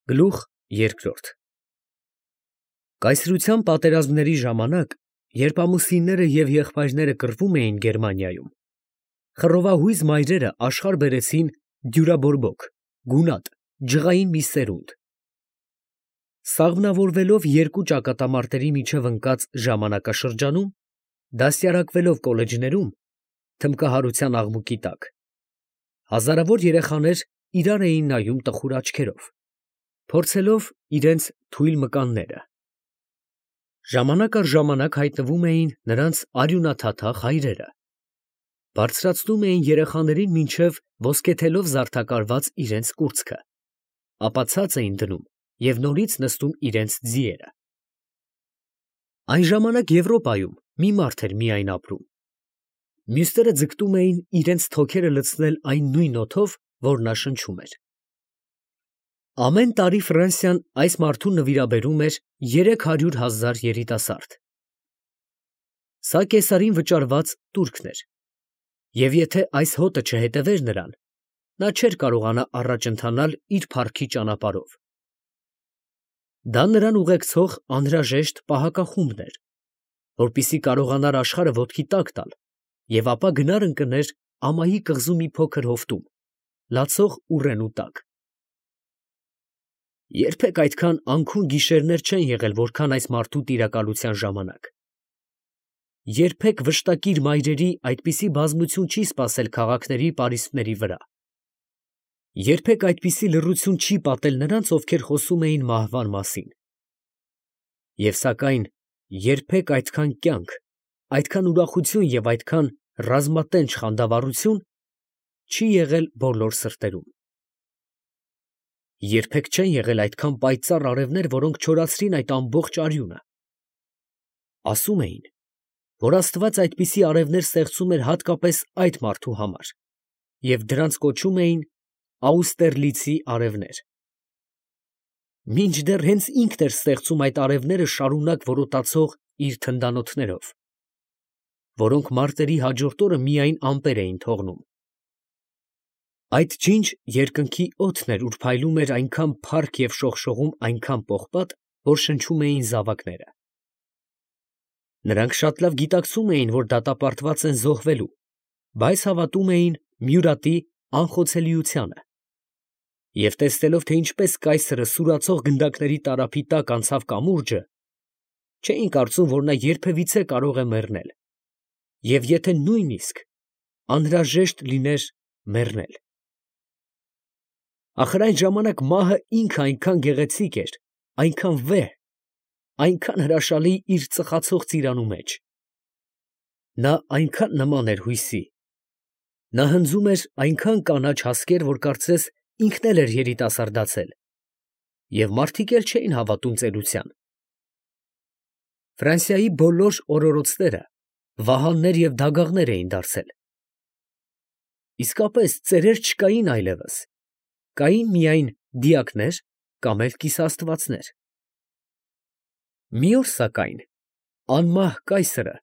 Գլուխ երկրորդ Կայսրության պատերազմների ժամանակ, երբ ամուսինները և եղբայրները կռվում էին Գերմանիայում, խռովահույզ մայրերը աշխարհ բերեցին դյուրաբորբոք, գունատ, ջղային մի սերունդ։ Սաղմնավորվելով երկու ճակատամարտերի միջև ընկած ժամանակաշրջանում, դաստիարակվելով կոլեջներում, թմբկահարության աղմուկի տակ, հազարավոր երեխաներ իրար էին նայում տխուր աչքերով, փորձելով իրենց թույլ մկանները։ Ժամանակ առ ժամանակ հայտնվում էին նրանց արյունաթաթախ հայրերը, բարձրացնում էին երեխաներին մինչև ոսկեթելով զարդակարված իրենց կուրծքը, ապա ցած էին դնում և նորից նստում իրենց ձիերը։ Այն ժամանակ Եվրոպայում մի մարդ էր միայն ապրում, մյուսները ձգտում էին իրենց թոքերը լցնել այն նույն օդով, որ նա շնչում էր։ Ամեն տարի Ֆրանսիան այս մարդուն նվիրաբերում էր 300,000 երիտասարդ։ Սա կեսարին վճարված տուրքն էր, և եթե այս հոտը չհետևեր նրան, նա չէր կարողանա առաջ ընթանալ իր փառքի ճանապարհով։ Դա նրան ուղեկցող անհրաժեշտ պահակախումբն էր, որպեսզի կարողանար աշխարհը ոտքի տակ տալ և ապա գնար ընկներ ամայի կղզու մի փոքր հովտում, լացող ուռենու տակ։ Երբեք այդքան անքուն գիշերներ չեն եղել, որքան այս մարդու տիրակալության ժամանակ։ Երբեք վշտակիր մայրերի այդպիսի բազմություն չի սպասել քաղաքների պարիսպների վրա։ Երբեք այդպիսի լռություն չի պատել նրանց, ովքեր խոսում էին մահվան մասին։ Եվ սակայն երբեք այդքան կյանք, այդքան ուրախություն և այդքան ռազմատենչ խանդավառություն չի եղել բոլոր սրտերում։ Երբեք չեն եղել այդքան պայծառ արևներ, որոնք չորացրին այդ ամբողջ արյունը։ Ասում էին, որ Աստված այդպիսի արևներ ստեղծում էր հատկապես այդ մարդու համար, և դրանց կոչում էին Աուստերլիցի արևներ։ Մինչդեռ հենց ինքն էր ստեղծում այդ արևները շարունակ որոտացող իր թնդանոթներով, որոնք մարտերի հաջորդ օրը միայն ամպեր էին թողնում։ Այդ ջինջ երկնքի օդն էր, ուր փայլում էր այնքան փառք և շողշողում այնքան պողպատ, որ շնչում էին զավակները։ Նրանք շատ լավ գիտակցում էին, որ դատապարտված են զոհվելու, բայց հավատում էին Մյուրատի անխոցելիությանը, և տեսնելով, թե ինչպես կայսրը սուրացող գնդակների տարափի տակ անցավ կամուրջը, չէին կարծում, որ նա երբևիցե կարող է մեռնել, և եթե նույնիսկ անհրաժեշտ լիներ մեռնել։ Ախր այն ժամանակ մահը ինքը այնքան գեղեցիկ էր, այնքան վեհ, այնքան հրաշալի իր ծխացող ծիրանու մեջ։ Նա այնքան նման էր հույսի, նա հնձում էր այնքան կանաչ հասկեր, որ կարծես ինքն էլ էր երիտասարդացել, և մարդիկ էլ չէին հավատում ծերության։ Ֆրանսիայի բոլոր օրորոցները վահաններ և դագաղներ էին դարձել։ Իսկապես ծերեր չկային այլևս, կային միայն դիակներ կամ էլ կիսաստվածներ։ Մի օր սակայն անմահ կայսրը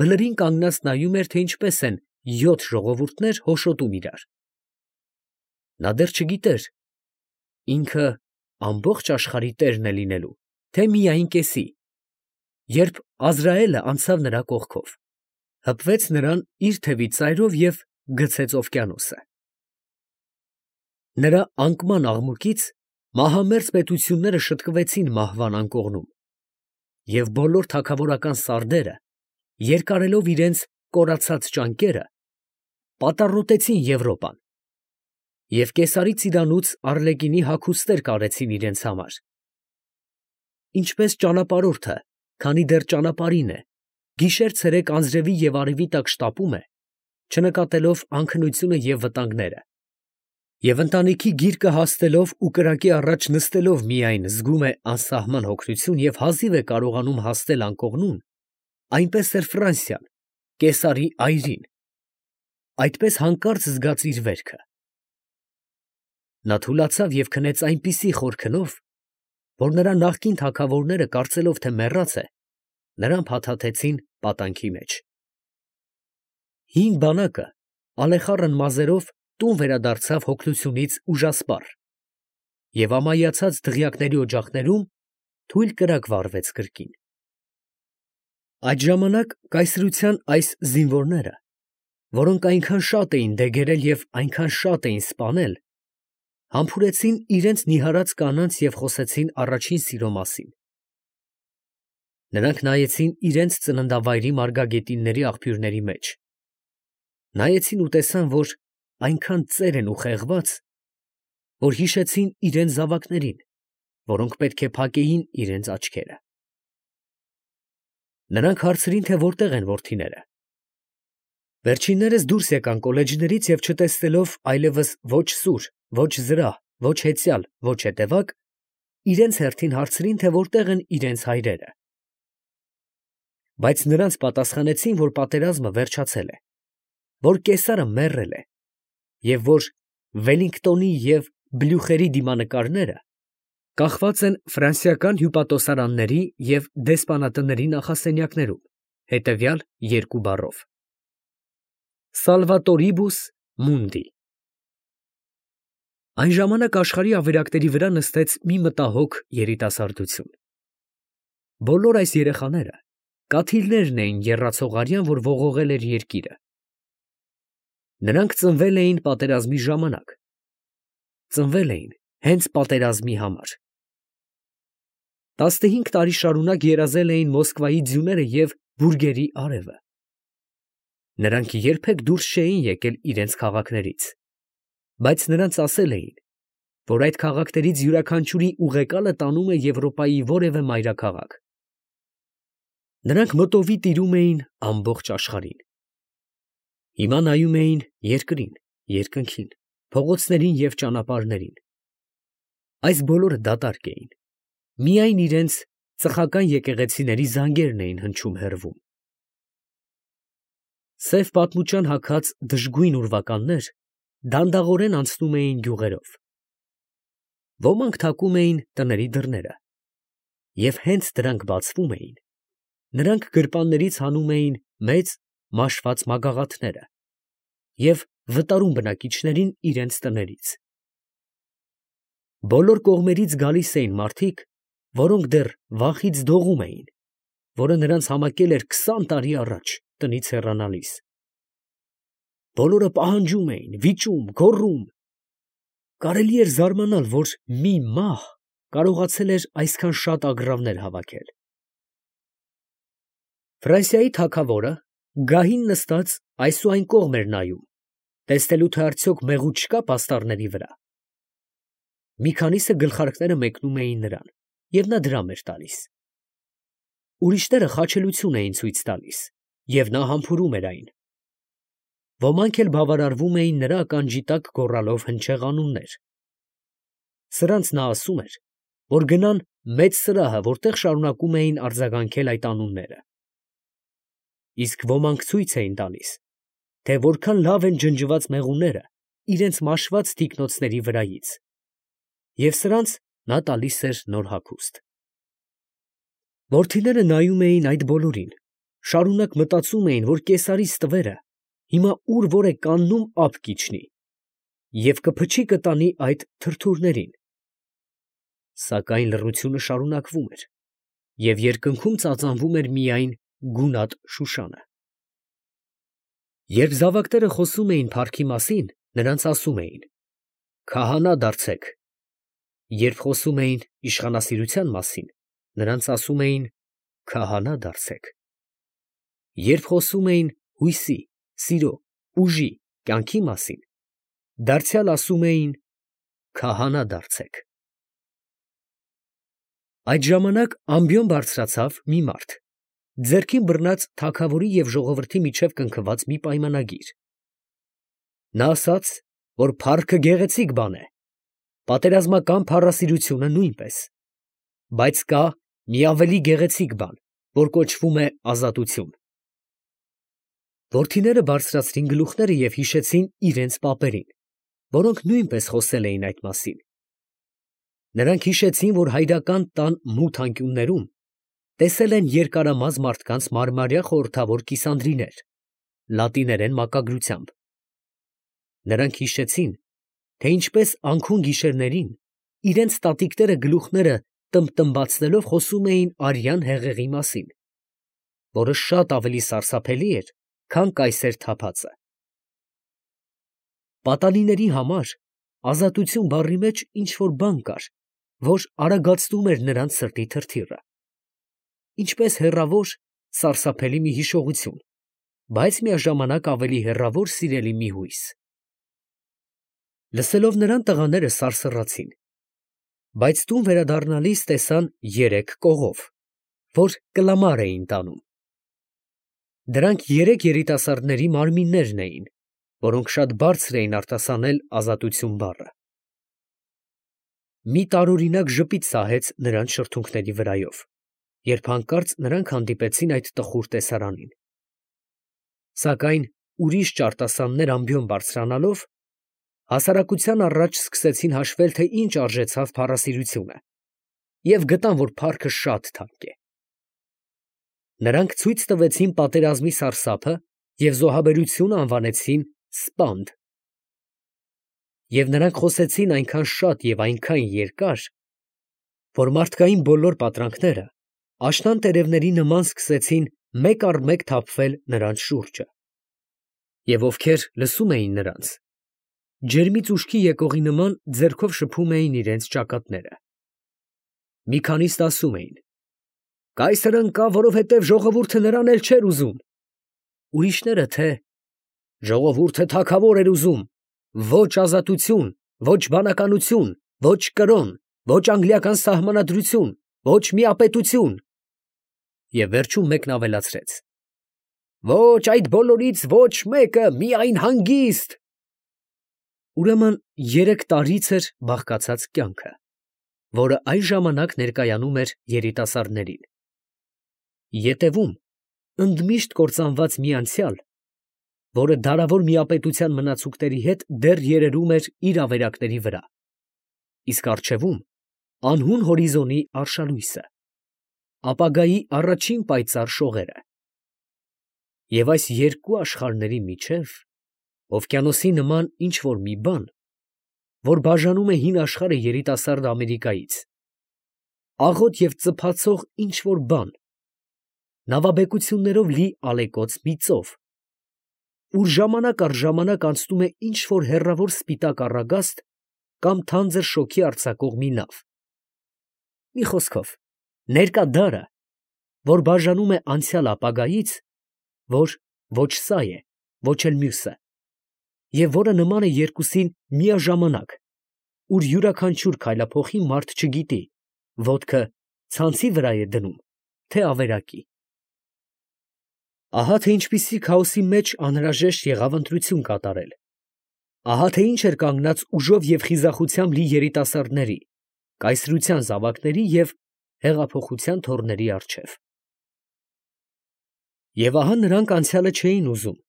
բլրին կանգնած նայում էր, թե ինչպես են 7 ժողովուրդներ հոշոտում իրար։ Նա դեռ չգիտեր ինքը ամբողջ աշխարհի տերն է լինելու, թե միայն կեսի, երբ Ազրայելը անցավ նրա կողքով, հպվեց նրան իր թևի ծայրով և գցեց օվկիանոսը։ Նրա անկման աղմուկից մահամերձ պետությունները շտկվեցին մահվան անկողնում, և բոլոր թագավորական սարդերը, երկարելով իրենց կորացած ճանկերը, պատառոտեցին Եվրոպան, և կեսարի ծիրանուց Արլեկինի հագուստներ կարեցին իրենց համար։ Ինչպես ճանապարհորդը, քանի դեռ ճանապարհին է, գիշեր֊ցերեկ անձրևի և արևի տակ շտապում է, չնկատելով անքնությունը և վտանգները, և ընտանիքի գիրկը հասնելով ու կրակի առաջ նստելով միայն զգում է անսահման հոգնություն և հազիվ է կարողանում հասնել անկողնուն, այնպես էր Ֆրանսիան կեսարի այրին, այդպես հանկարծ զգաց իր վերքը։ Նա թուլացավ և քնեց այնպիսի խոր քնով, որ նրա նախկին թագավորները, կարծելով, թե մեռած է, նրան փաթաթեցին պատանքի մեջ։ Հին բանակը ալեխառն մազերով տուն վերադարձավ հոգնությունից ուժասպառ, և ամայացած դղյակների օջախներում թույլ կրակ վառվեց կրկին։ Այդ ժամանակ կայսրության այս զինվորները, որոնք այնքան շատ էին դեգերել և այնքան շատ էին սպանել, համբուրեցին իրենց նիհարած կանանց և խոսեցին առաջին սիրո մասին։ Նրանք նայեցին իրենց ծննդավայրի մարգագետինների աղբյուրների մեջ, նայեցին ու տեսան, որ այնքան ծեր են ու խեղված, որ հիշեցին իրենց զավակներին, որոնք պետք է փակեին իրենց աչքերը։ Նրանք հարցրին, թե որտեղ են որդիները։ Վերջիններս դուրս եկան կոլեջներից և չտեսնելով այլևս ոչ սուր, ոչ զրահ, ոչ հեծյալ, ոչ հետևակ, իրենց հերթին հարցրին, թե որտեղ են իրենց հայրերը։ Բայց նրանց պատասխանեցին, որ պատերազմը վերջացել է, որ կեսարը մեռել է, և որ Վելլինգտոնի և Բլյուխերի դիմանկարները կախված են ֆրանսիական հյուպատոսարանների և դեսպանատների նախասենյակներում, հետևյալ երկու բառով. Salvatoribus mundi։ Այն ժամանակ աշխարհի ավերակների վրա նստեց մի մտահոգ երիտասարդություն։ Բոլոր այս երեխաները կաթիլներն էին եռացող արյան, որ ողողել էր երկիրը։ Նրանք ծնվել էին պատերազմի ժամանակ, ծնվել էին հենց պատերազմի համար։ 15 տարի շարունակ երազել էին Մոսկվայի ձյուները և բուրգերի արևը։ Նրանք երբեք դուրս չէին եկել իրենց քաղաքներից, բայց նրանց ասել էին, որ այդ քաղաքներից յուրաքանչյուրի ուղեկալը տանում է Եվրոպայի որևէ մայրաքաղաք։ Նրանք մտովի տիրում էին ամբողջ աշխարհին։ Հիմա նայում էին երկրին, երկնքին, փողոցներին և ճանապարհներին։ Այս բոլորը դատարկ էին։ Միայն իրենց ծխական եկեղեցիների զանգերն էին հնչում հեռվում։ Սև պատմության հագած դժգույն ուրվականներ դանդաղորեն անցնում էին գյուղերով։ Ոմանք թակում էին տների դռները, և հենց դրանք բացվում էին, նրանք գրպաններից հանում էին մեծ մաշված մագաղաթները և վտարում բնակիչներին իրենց տներից։ Բոլոր կողմերից գալիս էին մարդիկ, որոնք դեռ վախից դողում էին, որը նրանց համակել էր 20 տարի առաջ տնից հեռանալիս։ Բոլորը պահանջում էին, վիճում, գոռում։ Կարելի էր զարմանալ, որ մի մահ կարողացել էր այսքան շատ ագռավներ հավաքել։ Ֆրանսիայի թագավորը գահին նստած այս ու այն կողմ էր նայում, տեսնելու, թե արդյոք մեղուդ չկա պաստառների վրա։ Մի քանիսը գլխարկները մեկնում էին նրան, և նա դրամ էր տալիս։ Ուրիշները խաչելություն էին ցույց տալիս, և նա համբուրում էր այն։ Ոմանք էլ բավարարվում էին նրա ականջի տակ գոռալով հնչեղ անուններ։ Սրանց նա ասում էր, որ գնան մեծ սրահը, որտեղ շարունակում էին արձագանքել այդ անունները։ Իսկ ոմանք ցույց էին տալիս, թե որքան լավ են ջնջված մեղուները իրենց մաշված թիկնոցների վրայից, և սրանց նա տալիս էր նոր հագուստ։ Որդիները նայում էին այդ բոլորին, շարունակ մտածում էին, որ կեսարի ստվերը հիմա ուր որ է կանգնում ափ կիջնի և կփչի կտանի այդ թրթուրներին։ Սակայն լռությունը շարունակվում էր, և երկնքում ծածանվում էր միայն գունատ Շուշանը։ Երբ զավակները խոսում էին փառքի մասին, նրանց ասում էին. «Քահանա դարձեք», երբ խոսում էին իշխանասիրության մասին, նրանց ասում էին. «Քահանա դարձեք», երբ խոսում էին հույսի, սիրո, ուժի, կյանքի մասին, դարձյալ ասում էին. «Քահանա դարձեք»։ Այդ ժամանակ ամբիոն բարձրացավ մի մարդ, ձեռքին բռնած թագավորի և ժողովրդի միջև կնքված մի պայմանագիր։ Նա ասաց, որ փառքը գեղեցիկ բան է, պատերազմական փառասիրությունը նույնպես, բայց կա մի ավելի գեղեցիկ բան, որ կոչվում է ազատություն։ Որդիները բարձրացրին գլուխները և հիշեցին իրենց պապերին, որոնք նույնպես խոսել էին այդ մասին։ Նրանք հիշեցին, որ հայրական տան մութ անկյուններում տեսել են երկարամազ մարդկանց մարմարյա խորհրդավոր կիսանդրիներ, լատիներեն մակագրությամբ։ Նրանք հիշեցին, թե ինչպես անքուն գիշերներին իրենց տատիկները գլուխները տմբտմբացնելով խոսում էին արյան հեղեղի մասին, որը շատ ավելի սարսափելի էր, քան կայսեր թափածը։ Պատանիների համար ազատություն բառի մեջ ինչ-որ բան կար, որ արագացնում էր նրանց սրտի թրթիռը, ինչպես հեռավոր, սարսափելի մի հիշողություն, բայց միաժամանակ ավելի հեռավոր սիրելի մի հույս։ Լսելով նրան տղաները սարսռացին, բայց տուն վերադառնալիս տեսան 3 կողով, որ կլամար էին տանում։ Դրանք 3 երիտասարդների մարմիններն էին, որոնք շատ բարձր էին արտասանել ազատություն բառը։ Մի տարօրինակ ժպիտ սահեց նրանց շրթունքների վրայով, երբ հանկարծ նրանք հանդիպեցին այդ տխուր տեսարանին։ Սակայն ուրիշ ճարտասաններ ամբիոն բարձրանալով, հասարակության առաջ սկսեցին հաշվել, թե ինչ արժեցավ փառասիրությունը, և գտան, որ փառքը շատ թանկ է։ Նրանք ցույց տվեցին պատերազմի սարսափը և զոհաբերությունը անվանեցին սպանդ։ Եվ նրանք խոսեցին այնքան շատ և այնքան երկար, որ մարդկային բոլոր պատրանքները աշնան տերևների նման սկսեցին մեկ առ մեկ թափվել նրանց շուրջը։ Եվ ովքեր լսում էին նրանց, ջերմից ուշքի եկողի նման ձեռքով շփում էին իրենց ճակատները։ Մի քանիսն ասում էին. «Կայսրը ընկավ, որովհետև ժողովուրդը նրան էլ չէր ուզում»։ Ուրիշները, թե «Ժողովուրդը թագավոր էր ուզում, ոչ ազատություն, ոչ բանականություն, ոչ կրոն, ոչ անգլիական սահմանադրություն, ոչ միապետություն»։ Եվ վերջում մեկն ավելացրեց. «Ոչ այդ բոլորից ոչ մեկը, միայն հանգիստ»։ Ուրեմն 3 տարից էր բաղկացած կյանքը, որը այն ժամանակ ներկայանում էր երիտասարդներին։ Ետևում ընդմիշտ կործանված մի անցյալ, որը դարավոր միապետության մնացուկների հետ դեռ երերում էր իր ավերակների վրա, իսկ առջևում անհուն հորիզոնի արշալույսը, ապագայի առաջին պայծառ շողերը։ Եվ այս երկու աշխարհների միջև օվկիանոսի նման ինչ֊որ մի բան, որ բաժանում է հին աշխարհը երիտասարդ Ամերիկայից, աղոտ և ծփացող ինչ֊որ բան, նավաբեկություններով լի ալեկոծ մի ծով, ուր ժամանակ առ ժամանակ անցնում է ինչ֊որ հեռավոր սպիտակ առագաստ կամ թանձր շոգի արձակող մի նավ։ Մի խոսքով, ներկա դարը, որ բաժանում է անցյալ ապագայից, որ ոչ սա է, ոչ էլ մյուսը, և որը նման է երկուսին միաժամանակ, ուր յուրաքանչյուր քայլափոխի մարդ չգիտի, ոտքը ցանցի վրա է դնում, թե ավերակի։ Ահա թե ինչպիսի քաոսի մեջ անհրաժեշտ եղավ ընտրություն կատարել։ Ահա թե ինչ էր կանգնած ուժով և խիզախությամբ լի երիտասարդների, կայսրության զավակների և հեղափոխության թոռների առջև։ Եվ ահա նրանք անցյալը չէին ուզում,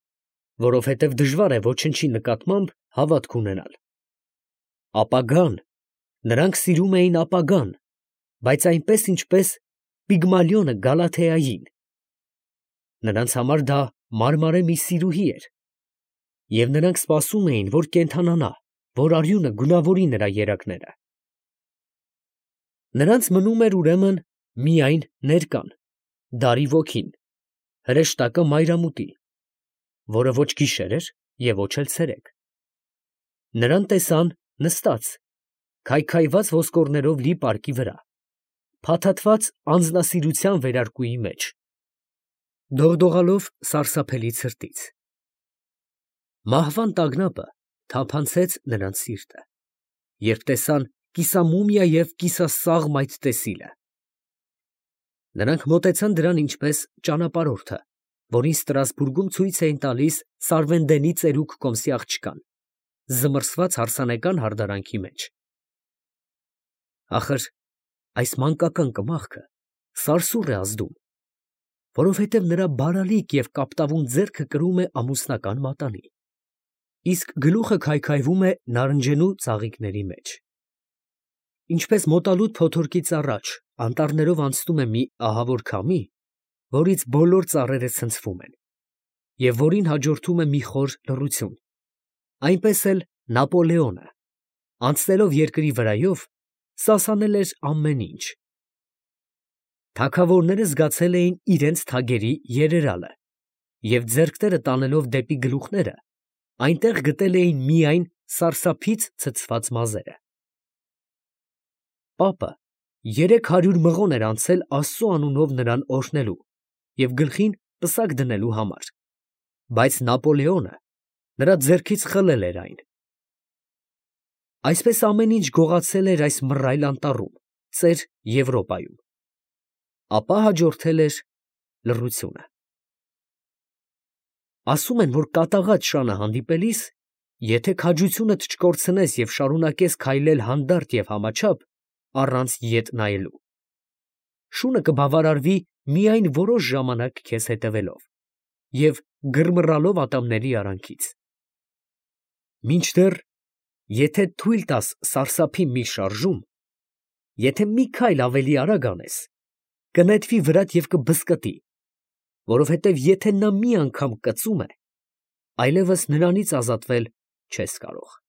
որովհետև դժվար է ոչնչի նկատմամբ հավատք ունենալ։ Ապագան, նրանք սիրում էին ապագան, բայց այնպես, ինչպես Պիգմալիոնը Գալաթեային։ Նրանց համար դա մարմարե մի սիրուհի էր, և նրանք սպասում էին, որ կենդանանա, որ արյունը գունավորի նրա երակները։ Նրանց մնում էր ուրեմն միայն ներկան, դարի ոգին, հրեշտակը մայրամուտի, որը ոչ գիշեր էր և ոչ էլ ցերեկ։ Նրան տեսան նստած, քայքայված ոսկորներով լի պարկի վրա, փաթաթված անձնասիրության վերարկուի մեջ, դողդողալով սարսափելի ցրտից։ Մահվան տագնապը թափանցեց նրանց սիրտը, երբ տեսան կիսամումիա և կիսասաղ մայթտեսիլը։ Նրանք մոտեցան դրան ինչպես ճանապարհորդը, որին Ստրասբուրգում ցույց էին տալիս Սարվենդենի ծերուկ կոմսի աղջկան, զմռսված հարսանեկան հարդարանքի մեջ։ Ախր այս մանկական կմախքը սարսուռ է ազդում, որովհետև նրա բարալիկ և կապտավուն ձեռքը կրում է ամուսնական մատանի, իսկ գլուխը քայքայվում է նարնջենու ծաղիկների մեջ։ Ինչպես մոտալուտ փոթորկից առաջ անտառներով անցնում է մի ահավոր քամի, որից բոլոր ծառերը ցնցվում են, և որին հաջորդում է մի խոր լռություն, այնպես էլ Նապոլեոնը, անցնելով երկրի վրայով, սասանել էր ամեն ինչ։ Թագավորները զգացել էին իրենց թագերի երերալը և ձեռքները տանելով դեպի գլուխները, այնտեղ գտել էին միայն սարսափից ցցված մազերը։ Պապը 300 մղոն էր անցել Աստծու անունով նրան օրհնելու և գլխին պսակ դնելու համար, բայց Նապոլեոնը նրա ձեռքից խլել էր այն։ Այսպես ամեն ինչ գողացել էր այս մռայլ անտառում, ծեր Եվրոպայում։ Ապա հաջորդել էր լռությունը։ Ասում են, որ կատաղած շանը հանդիպելիս, եթե քաջությունդ չկորցնես և շարունակես քայլել հանդարտ և համաչափ, առանց ետ նայելու, շունը կբավարարվի միայն որոշ ժամանակ քեզ հետևելով և գրմռալով ատամների արանքից։ Մինչդեռ, եթե թույլ տաս սարսափի մի շարժում, եթե մի քայլ ավելի արագ անես, կնետվի վրատ և կբզկտի, որովհետև եթե նա մի անգամ կծում է, այլևս նրանից ազատվել չես կարող։